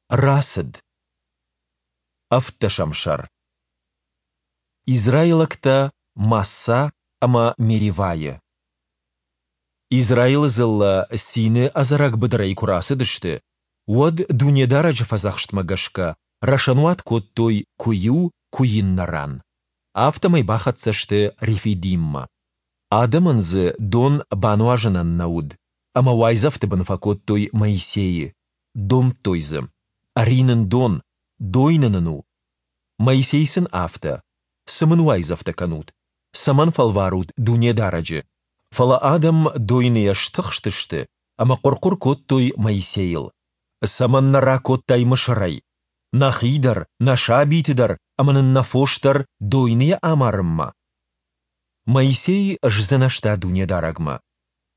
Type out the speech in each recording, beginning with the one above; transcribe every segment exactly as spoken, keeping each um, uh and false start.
Рацыд. Ӕвддӕсӕм сӕр. Израилӕгтӕ Массӕ ӕмӕ Меривӕйы. Израилы дзыллӕ Цины ӕдзӕрӕг быдырӕй куы рацыдысты, уӕд, Дунедарӕджы фӕдзӕхстмӕ гӕсгӕ, рӕсӕнуат кодтой куы иу, куы иннӕ ран. Афтӕмӕй бахӕццӕ сты Рефидиммӕ. Адӕмӕн дзы дон бануазынӕн нӕ уыд, ӕмӕ уайдзӕфты бын фӕкодтой Моисейы, домдтой дзы: «Ӕри нын дон, дойны нын у!» Моисей сын афтӕ: «Цы мын уайдзӕфтӕ кӕнут? Цӕмӕн фӕлварут Дунедарӕджы?» Фӕлӕ адӕм дойныйӕ стыхстысты ӕмӕ хъуыр-хъуыр кодтой Моисейыл: «Цӕмӕн нӕ ракодтай Мысырӕй? Нӕхи дӕр, нӕ сабиты дӕр ӕмӕ нын нӕ фос дӕр дойныйӕ амарынмӕ?» Моисей сдзынӕзта Дунедарӕгмӕ: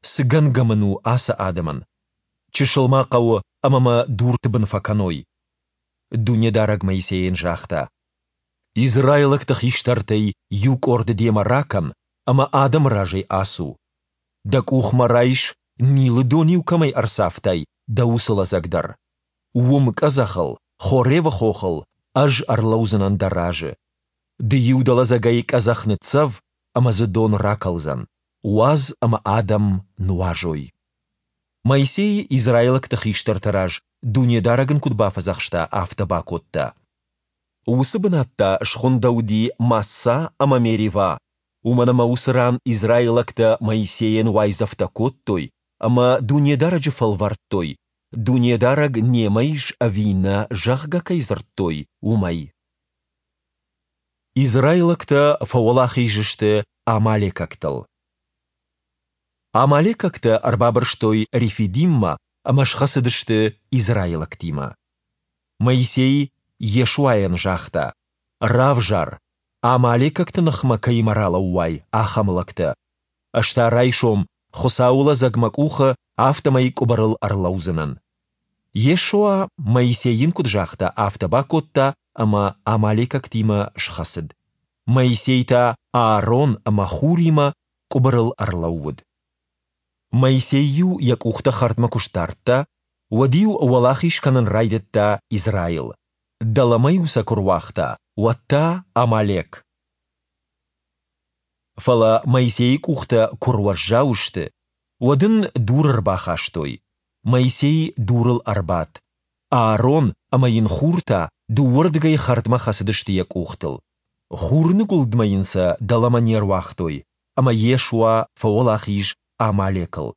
«Цы гӕнгӕ мын у ацы адӕмӕн? Чысыл ма хъӕуы, ӕмӕ мӕ дурты бын фӕкӕной!» Дунедарӕг Моисейӕн загъта: «Израилӕгты хистӕртӕй иу къорды демӕ ракӕн ӕмӕ адӕмы разӕй ацу. Дӕ къухмӕ райс, Нилы дон-иу кӕмӕй ӕрцавтай, дӕ уыцы лӕдзӕг дӕр. Уым къӕдзӕхыл, Хоревы хохыл, Ӕз ӕрлӕудзынӕн дӕ разы. Ды-иу дӕ лӕдзӕгӕй къӕдзӕх ныццӕв, ӕмӕ дзы дон ракӕлдзӕн. Уадз ӕмӕ адӕм нуазой». Моисей израилӕгты хистӕрты раз, Дунедарӕг ын куыд бафӕдзӕхста, афтӕ бакодта. Уыцы бынат та схуындӕуыди Массӕ ӕмӕ Меривӕ, уымӕн ӕмӕ уыцы ран израилӕгтӕ Моисейӕн уайдзӕфтӕ кодтой ӕмӕ Дунедарӕджы фӕлвӕрдтой, Дунедарӕг немӕ ис ӕви нӕ, зӕгъгӕ, кӕй дзырдтой, уымӕй. Израилӕгтӕ фӕуӕлахиз сты амалекӕгтыл. Амалекӕгтӕ ӕрбабырстой Рефидиммӕ ӕмӕ схӕцыдысты израилӕгтимӕ. Моисей Йешуайӕн загъта: «Равзар, амалекӕгты ныхмӕ кӕимӕ ралӕууай, ахӕм лӕгтӕ. Ӕз та райсом, Хуыцауы лӕдзӕг мӕ къухы, афтӕмӕй къуыбырыл ӕрлӕудзынӕн». Йешуа, Моисей йын куыд загъта, афтӕ бакодта ӕмӕ амалекӕгтимӕ схӕцыд. Моисей та Аарон ӕмӕ Хуримӕ къуыбырыл ӕрлӕууыд. Моисей-иу йӕ къухтӕ хӕрдмӕ куы сдардта, уӕд-иу уӕлахиз кӕнын райдыдта Израил. Дӕлӕмӕ-иу сӕ куы руагъта, уӕд та – Амалек. Фӕлӕ Моисейы къухтӕ куы руӕззау сты, уӕд ын дур ӕрбахастой. Моисей дурыл ӕрбадт. Аарон ӕмӕ йын Хур та дыууӕрдыгӕй хӕрдмӕ хӕцыдысты йӕ къухтыл. Хурныгуылдмӕ йын сӕ дӕлӕмӕ не руагътой, ӕмӕ Йешуа фӕуӕлахиз Амалекыл,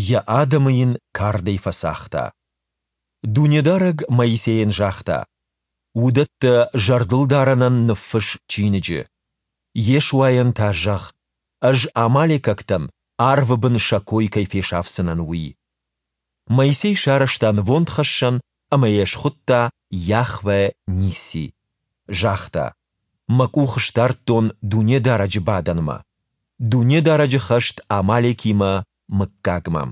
йӕ адӕмы йын кардӕй фӕцагъта. Дунедарӕг Моисейӕн загъта: «Уыдӕттӕ зӕрдылдарӕнӕн ныффысс чиныджы. Йешуайӕн та зӕгъ, Ӕз амалекӕгтӕн арвы бын сӕ кой кӕй фесафдзынӕн, уый». Моисей сарӕзта нывондхӕссӕн ӕмӕ йӕ схуыдта Йахве-Нисси. Загъта: «Мӕ къух сдардтон Дунедарӕджы бадӕнмӕ, Дунедарӕджы хӕст Амалекимӕ мыггагмӕ».